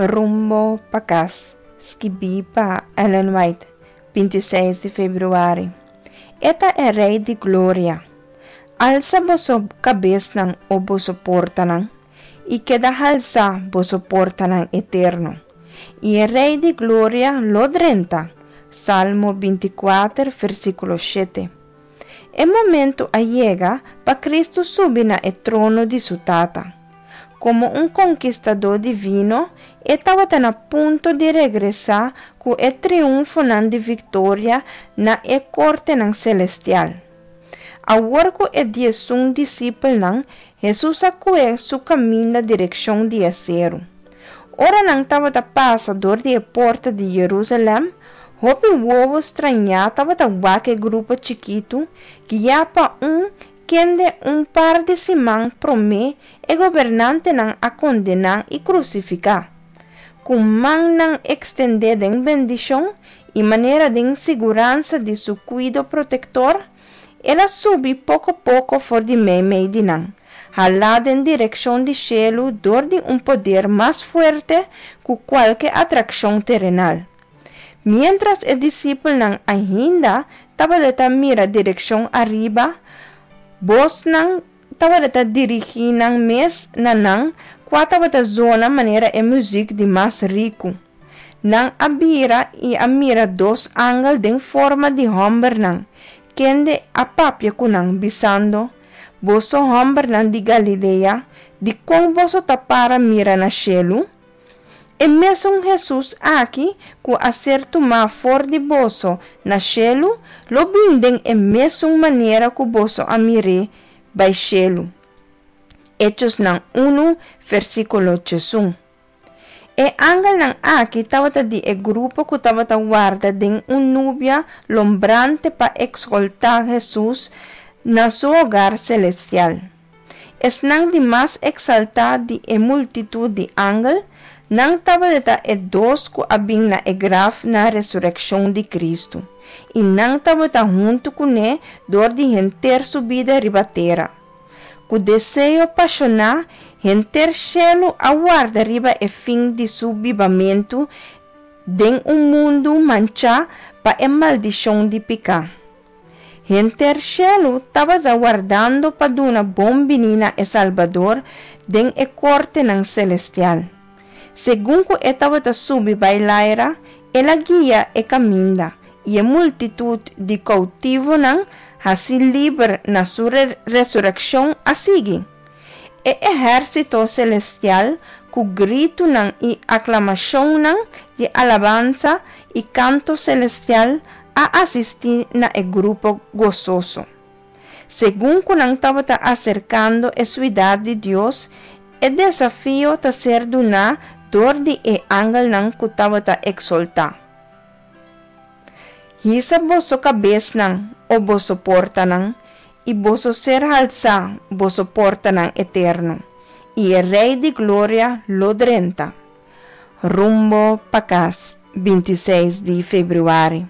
Rumbo pa kas, skibí pa Ellen White, 26 di febrüari. E ta e Rei di Gloria. Alsa boso kabesnan, o boso portanan, i keda halsá, boso portanan eterno, i e Rei di Gloria lo drenta. Salmo 24, versíkulo 7. E momento a yega pa Kristu subi na e trono di su Tata. Komo un konkistadó divino, e tabata na punto di regresá ku e triunfonan di viktoria na e kortenan selestial. Awor ku e 11 disipelnan, Hesus a kue su kaminda direkshon di e seru. Ora nan tabata pasa dor di e porta di Yerusalèm, hopi wowo strañá tabata wak e grupo chikitu, guiá pa un kende un par di siman promé e gobernantenan a kondená i krusifiká. Ku mannan ekstendé den bendishon i manera den siguransa di su kuido protektor, el a subi poko poko for di meimei di nan, halá den direkshon di shelu dor di un poder mas fuerte ku kualke atrakshon terenal. Miéntras e disipelnan ainda tabata mira direkshon ariba, bosnan tabata dirigí nan mes na nan, kua tabata zona manera e muzik di mas riku. Nan a bira i a mira dos angel den forma di hòmbernan, kende a papia ku nan, bisando: Boso hòmbernan di Galilea, dikon boso ta para mira na shelu? E mesun Hesus aki ku a ser tumá for di boso na shelu, lo bin den e mesun manera ku boso a mir'é bai shelu. Echosnan unu, versíkulo 11. E angelnan aki tabata di e grupo ku tabata warda den un nubia lombrante pa ekskoltá Hesus na su hogar selestial. Esnan di mas eksaltá di e multitut di angel, nan tabata e dos ku a bin na e graf na resurekshon di Kristu, i nan tabata huntu kuné dor di henter su bida riba tera. Ku deseo pashoná, henter shelu a warda riba e fin di su bibamentu den un mundu manchá pa e maldishon di piká. Henter shelu tabata wardando pa duna bon biní na e Salbador den e kortenan selestial. Segun ku e tabata subi bai laira, el a guia e kaminda, i e multitut di koutivonan hasí liber na su resurekshon a sigui. E ehérsito selestial ku gritunan i aklamashonnan di alabansa i kanto selestial a asistí na e grupo gososo. Segun ku nan tabata aserkando e siudat di Dios, e desafio ta ser duná dor di e angelnan ku tabata eksoltá. Hisa boso kabesnan, o boso portanan, i boso ser halsá, boso portanan eterno, i e Rei di Gloria lo drenta. Rumbo pa kas, 26 di febrüari.